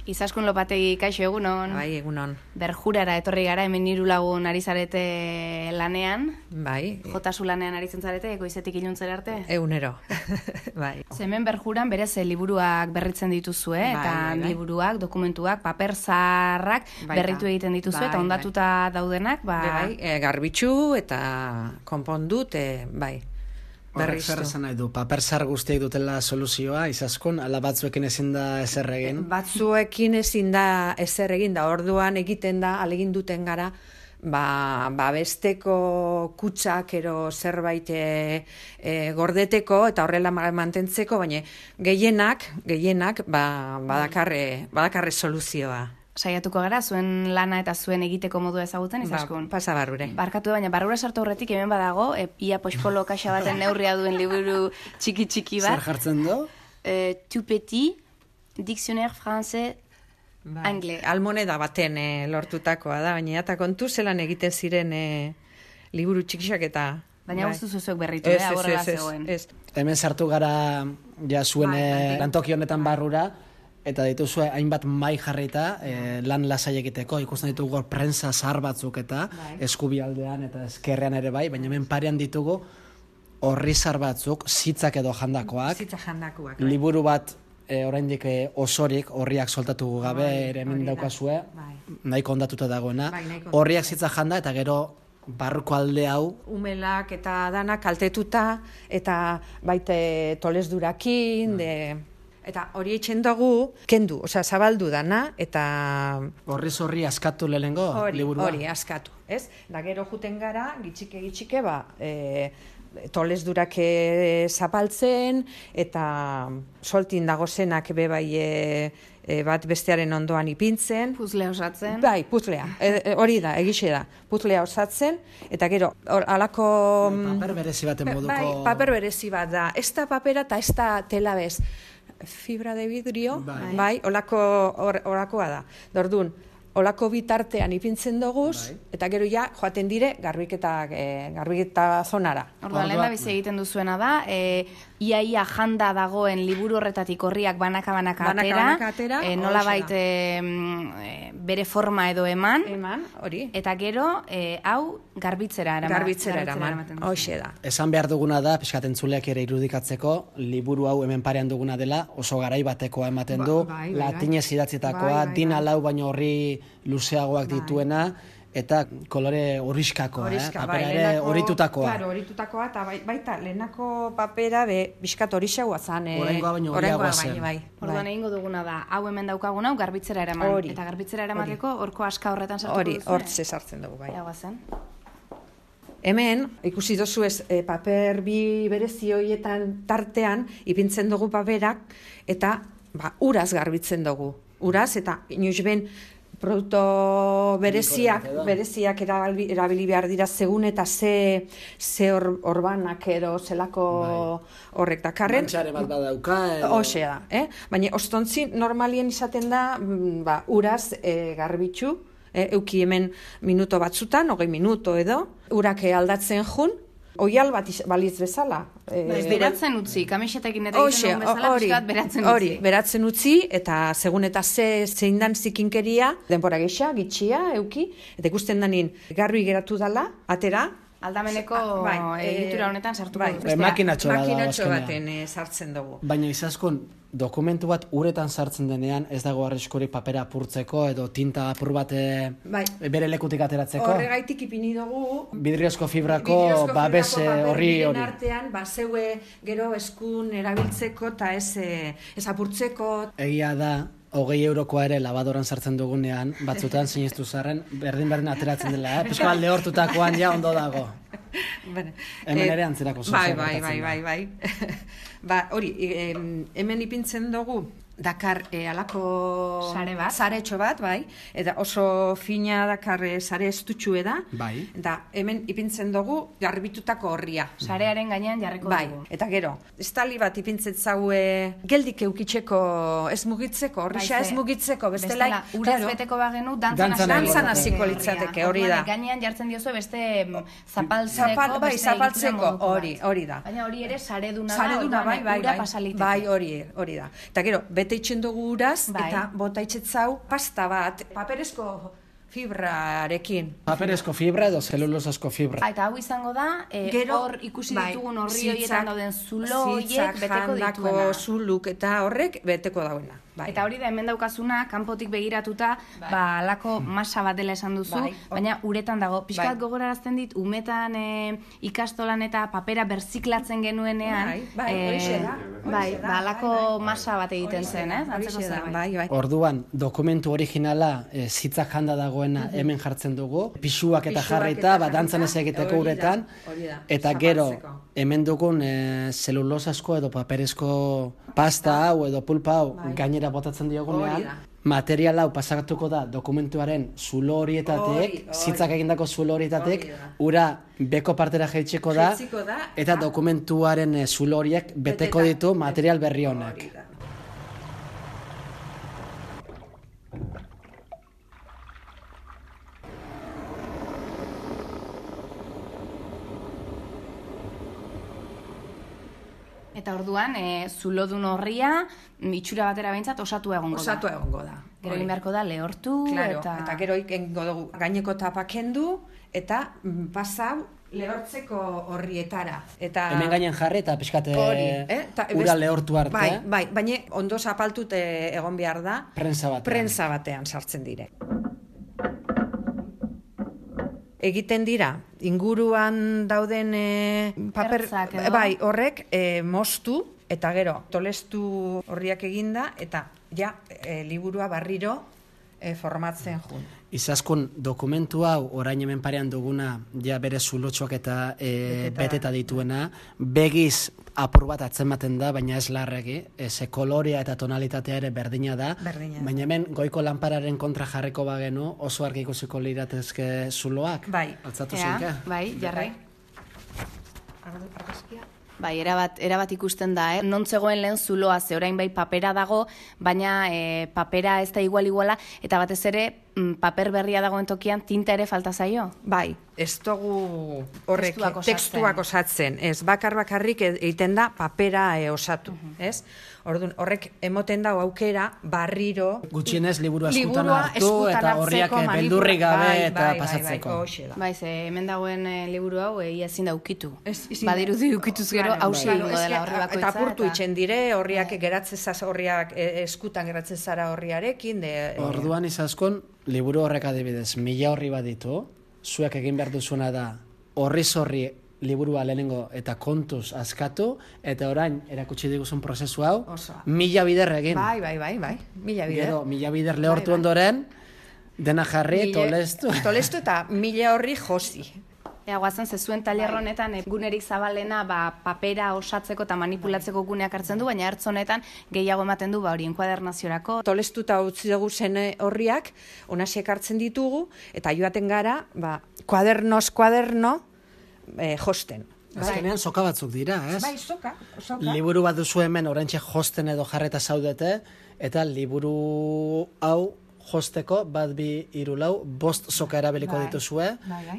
Izaskun Lopategi, kaixo egunon. Bai, egunon. Berjurara etorri gara, hemen 3 lagun ari zarete lanean. Bai. Jotasu lanean aritzen zarete, goizetik iluntzera arte. Egunero. Bai. Hemen Berjuran berez liburuak berritzen dituzue, eta liburuak, dokumentuak, paper zaharrak berritu egiten dituzue, eta ondatuta daudenak, Bai, garbitzu eta konpondut, bai. Horrek zer esan nahi du, paper zahar guztiak dutela soluzioa, Izaskun, ala batzuekin ezin da ezer egin? Batzuekin ezin da ezer egin, da orduan egiten da, alegin duten gara, besteko kutsak ero zerbait gordeteko eta horrela mantentzeko, baina gehienak badakarre soluzioa. Saiatuko gara, zuen lana eta zuen egiteko modua ezagutzen, Izaskun? Pasa barrure. Barkatu, baina barrura sartu horretik hemen badago, ia pospolo kaxa baten neurria duen liburu txiki bat. Zer jartzen du? Tout petit, dictionnaire français anglais. Almoneda baten lortutakoa da, baina eta kontu zelan egiten ziren liburu txikisak eta... Baina guztu zuzuek berritu, horrela zegoen. Hemen sartu gara ja zuen lantoki honetan barrura, eta dituzue hainbat mai jarrita lan lasai egiteko, ikusten ditugu prensa zahar batzuk eta eskubialdean eta eskerrean ere bai, baina hemen parean ditugu orri zahar batzuk, zitzak edo jandakoak. Zitzak jandakoak. Liburu bat oraindik osorik, orriak soltatu gabe ere hemen daukazue, nahiko ondatuta dagoena. Orriak zitzak janda eta gero barruko alde hau. Umelak eta danak kaltetuta eta baite tolezdurakin, eta hori etxen dugu, kendu, zabaldu dana, eta... Horri askatu lehengo liburua? Hori, askatu, ez? Da gero juten gara, gitxike, tolesdurak zapaltzen, eta soltin dagozenak bebai bat bestearen ondoan ipintzen. Puzlea osatzen. Bai, puzlea, hori da, egixe da, puzlea osatzen, eta gero, alako... Paper berezi baten moduko... Bai, paper berezi bat da, ez da papera eta ez da tela bez. Fibra de vidrio, bai, olakoa da. Dordun, olako bitartean ipintzen doguz, eta gero ja joaten dire garbiketa zonara. Orduan, lehen da bizi egiten duzuena da, ia janda dagoen liburu horretatik horriak banaka atera, nola baita bere forma edo eman, hori. Eta gero, hau garbitzera eraman. Hoxe da. Esan behar duguna da, pixkatentzuleak ere irudikatzeko, liburu hau hemen parean duguna dela, oso garai batekoa ematen du, latinez idatzitakoa, dina lau baino horri luzeagoak dituena, eta kolore horrizkakoa, papera ere horitutakoa. Claro, horitutakoa, eta baita, lehenako papera bizkat horixagoa zan. Oraingoa baino horiagoa zen. Orduan egingo duguna da, hau hemen daukaguna, hau garbitzera eraman. Eta garbitzera eramateko, horko aska horretan sartuko duzu. Hortze sartzen dugu, bai. Zen. Hemen, ikusi dozu ez, paper bi berezi horietan tartean, ipintzen dugu paperak, eta uraz garbitzen dugu. Uraz, eta inoiz ben, produktu bereziak erabili behar dira segun eta ze orbanak edo zelako horrek dakarren. Mantxare bat badauka. Hoxe da, baina ostontzi normalien izaten da uraz garbitzu, euki hemen minuto batzutan, 20 minuto edo, urak aldatzen jun, oial bat balitz bezala. Beratzen utzi, kamisetekin eta egiten duen bezala, piskat beratzen utzi. Hori, beratzen utzi, eta segun eta zein dan zikinkeria, denbora geixa, gitxia, euki, eta ikusten danin garbi geratu dala, atera, aldameneko egitura honetan sartuko dut. Makinatxo baten sartzen dugu. Baina Izaskun, dokumentu bat uretan sartzen denean, ez dago arriskurik papera apurtzeko edo tinta apur bat bere lekutik ateratzeko? Horregaitik ipini dugu. Vidriozko fibrako babes horri hori. Artean, zeue gero eskun erabiltzeko eta ez apurtzeko. Egia da, 20 eurokoa ere labadoran sartzen dugunean, batzutan sinistu zarren, berdin ateratzen dela, pixko alde hortutakoan ja ondo dago. Hemen ere antzerako zuzera. Bai. Hori, hemen ipintzen dugu, dakar alako saretxo bat, bai, eta oso fina dakar sare estutxue da, eta hemen ipintzen dugu garbitutako horria. Sarearen gainean jarriko dugu. Eta gero, estali bat ipintzen zaue geldik eukitzeko, ez mugitzeko, horrixa ez mugitzeko, bestela uraz beteko bagenu dantzan hasiko litzateke, hori da. Gainean jartzen diozue beste zapaltzeko, zapaltzeko, hori da. Baina hori ere sareduna da, ura pasalitzeko. Bai, hori da. Eta gero, bete itxen dugu uraz, eta bota itxetzau pasta bat, paperezko fibrarekin. Paperezko fibra edo zelulosazko fibra. Eta hau izango da, hor ikusi ditugun horri horietan dauden zulo horiek beteko dituena. Jandako zuluk eta horrek beteko dauena. Eta hori da hemen daukazuna, kanpotik begiratuta, alako masa bat dela esan duzu, baina uretan dago. Piskat gogorarazten dit, umetan ikastolan eta papera berziklatzen genuenean, alako masa bat egiten zen, antzeko zerbait. Orduan, dokumentu originala zitzak janda dagoena hemen jartzen dugu, pisuak eta jarrita, dantzan ez egiteko uretan, eta gero, hemen dugun zelulosazko edo paperezko pasta hau edo pulpa hau gainera botatzen diogunean, material hau pasatuko da dokumentuaren zulo horietatek, zitzak egindako zulo horietatek, ura beko partera jaitsiko da, eta dokumentuaren zulo horiek beteko ditu material berri honek. Eta orduan, zulodun horria, itxura batera behintzat, osatu egongo da. Osatu egongo da. Gero egin beharko da lehortu, eta gero egingo dugu gaineko tapa kendu, eta pasau lehortzeko horrietara. Hemen gainen jarri eta pixkate ura lehortu arte. Bai, baina ondo zapaltut egon behar da. Prensa batean sartzen dire. Egiten dira, inguruan dauden paper, horrek moztu, eta gero tolestu horriak eginda, eta liburua barriro formatzen jun. Izaskun, dokumentu hau orain hemen parean duguna, bere zulotxoak eta beteta dituena, begiz apur bat atzematen da, baina ez larregi, ze kolorea eta tonalitatea ere berdina da, baina hemen goiko lanpararen kontra jarriko bagenu, oso argi ikusiko liratezke zuloak. Altzatu zinke? Jarrai. Bai, erabat ikusten da, non zegoen lehen zuloa, ze orain bai papera dago, baina papera ez da iguala, eta batez ere paper berria dagoen tokian tinta ere falta zaio. Bai, ez dugu horrek tekstuak osatzen, ez bakarrik egiten da papera osatu, ez? Orduan, horrek emoten dago aukera barriro... Gutxienez liburu eskutan hartu eta horriak beldurri gabe eta pasatzeko. Bai, ze hemen dagoen liburu hau ezin da ukitu. Badirudi ukituz gero hausi egingo dela horri bakoitza. Eta apurtu itxen dire, horriak horriak eskutan geratzen zara horriarekin. Orduan izaskon, liburu horrek adibidez, 1000 horri bat ditu, zuek egin behar duzuena da horri liburua lehenengo eta kontuz askatu, eta orain erakutsi diguzun prozesu hau, 1000 bider egin. Bai, 1000 bider. Gero, 1000 bider lehortu ondoren, dena jarri, tolestu. Tolestu eta 1000 horri josi. Guazen, zezuen taller honetan gunerik zabalena papera osatzeko eta manipulatzeko guneak hartzen du, baina hartz honetan gehiago ematen du hori enkuadernaziorako. Tolestuta utzi dugu zen horriak, onasiek hartzen ditugu, eta joaten gara, kuaderno, josten. Azkenean soka batzuk dira, ez? Bai, soka. Liburu bat duzu hemen oraintxe josten edo jarreta zaudete, eta liburu hau josteko, 1, 2, 3, 4, 5 soka erabiliko dituzue,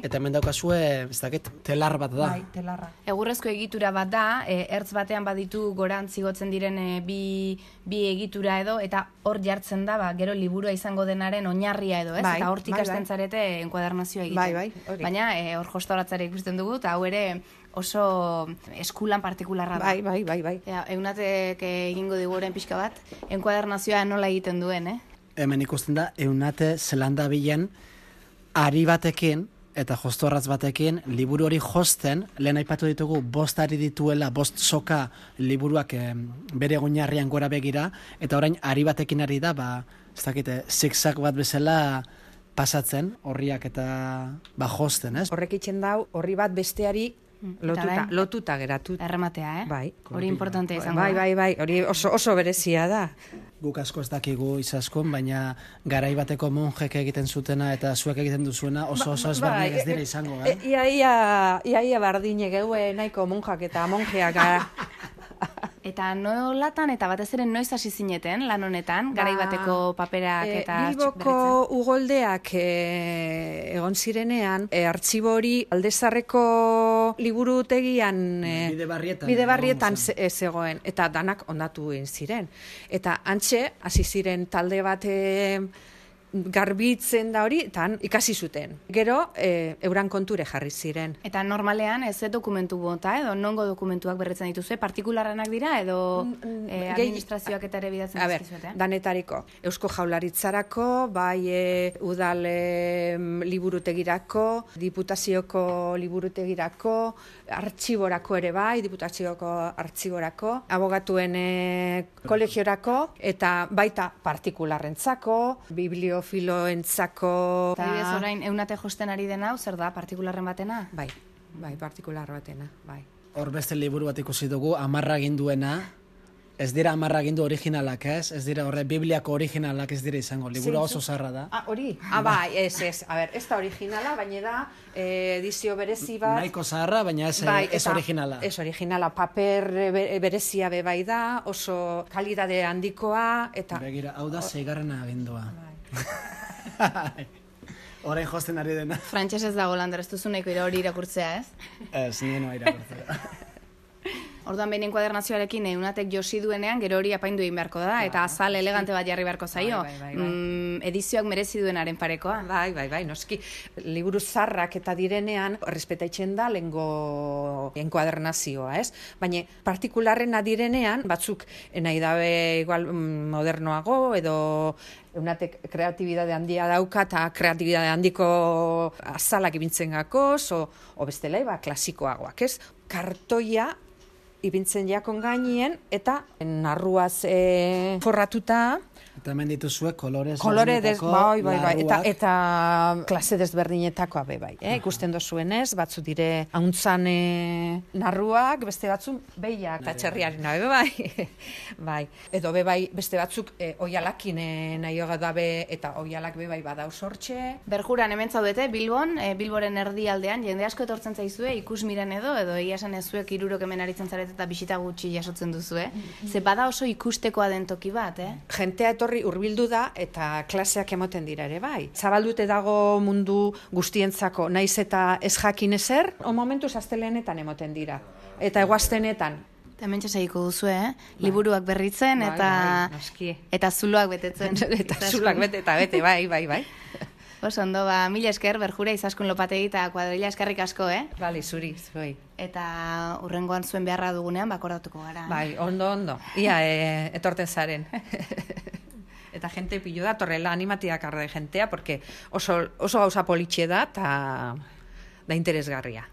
eta hemen daukazue, ez dakit, telar bat da. Bai, telarra. Egurrezko egitura bat da, ertz batean baditu gorantz igotzen diren bi egitura edo, eta hor jartzen da, gero liburua izango denaren oinarria edo, ez? Eta hortik hasten zarete enkuadernazioa egiten. Baina hor jostauratzare ikusten dugu, eta hau ere oso eskulan partikularra da. Bai. Eunatek egingo diguren pixka bat, enkuadernazioa nola egiten duen, Hemen ikusten da, Eunate zelanda bilen ari batekin eta jostorratz batekin liburu hori josten, lehen aipatu ditugu 5 ari dituela, 5 soka liburuak bere oinarrian gora begira, eta orain ari batekin ari da, ez dakite, zigzag bat bezala pasatzen, horriak eta josten, ez? Horrek itxen dau, horri bat besteari lotuta geratu. Errematea, Bai. Hori importantea izango da. Bai, hori oso berezia da. Guk asko ez dakigu izaskun, baina garai bateko monjek egiten zutena eta zuek egiten duzuena oso ezberdinak ez dira izango, Ia bardine geue nahiko monjak eta monjeak gara. Eta nolatan eta batez ere noiz hasi zineten lan honetan, garai bateko paperak eta Bilboko ugoldeak egon zirenean, artxibo hori Aldezarreko liburutegian Bidebarrietan zegoen, eta danak ondatu egin ziren. Eta antxe, hasi ziren talde bat garbitzen da hori, eta ikasi zuten. Gero, euran konture jarri ziren. Eta normalean, ez dokumentu bota, edo nongo dokumentuak berretzen dituzue, partikularranak dira, edo administrazioak eta ere bidatzen dizkizuete? Danetariko. Eusko Jaurlaritzarako, bai udal liburutegirako, diputazioko liburutegirako, artxiborako ere bai, diputazioko artxiborako, abogatuen kolegiorako, eta baita partikularrentzako, bibliofiloentzako. Adibidez orain, eunate josten ari dena, zer da, partikularren batena? Bai, partikular batena, bai. Hor beste liburu bat ikusi dugu, 10 aginduena, ez dira 10 agindu originalak, ez dira horre Bibliako originalak ez dira izango, liburu oso zarra da. Hori? Bai, ez. A ber, ez da originala, baina da edizio berezi bat. Nahiko zaharra, baina ez originala. Ez originala, paper berezia bai da, oso kalidade handikoa, eta... Begira, hau da 6. agindua. Orain josten ari dena. Frantxez ez dago Lander, ez duzu nahiko hori irakurtzea, ez? Ez, nire irakurtzea. Orduan behin enkuadernazioarekin eunatek josi duenean, gero hori apaindu egin beharko da, eta azal elegante bat jarri beharko zaio. Edizioak merezi duenaren parekoa. Bai, noski. Liburu zarrak eta direnean, respetaitzen da lengo enkuadernazioa, ez? Baina partikularrena direnean, batzuk nahi dabe igual modernoago, edo eunatek kreatibidade handia dauka, eta kreatibidade handiko azalak ibintzen gakoz, o bestela, klasikoagoak, ez? Kartoia ibintzen jakon gainien, eta narruaz forratuta. Eta hemen dituzue kolore bai, eta klase desberdinetakoa bai. Ikusten dozuenez, batzu dire hauntzan narruak, beste batzu behiak, eta txerriaren bai. Edo bai, beste batzuk oialakin nahi dabe, eta oialak bai badauz hortxe. Berjuran hemen zaudete, Bilboren erdialdean, jende asko etortzen zaizue, ikus miren edo egia esan ezuek 3 hemen aritzen zaret eta bisita gutxi jasotzen duzue. Ze bada oso ikustekoa den toki bat, Jentea etorri hurbildu da eta klaseak emoten dira ere bai. Zabaldute dago mundu guztientzako, naiz eta ez jakin ezer, momentuz astelenetan emoten dira. Eta eguaztenetan. Eta mentxe segiko duzu, liburuak berritzen eta zuloak betetzen. Eta zuloak bete, bai. Oso ondo, mila esker, Berjura, Izaskun Lopategi eta Kuadrilla eskerrik asko, Bali, zuri. Eta hurrengoan zuen beharra dugunean, bakordatuko gara. Bai, ondo. Ia, etorten zaren. Eta jente pilo da, torrela animatiak arra de jentea, porque oso gauza politxe da, eta da interesgarria.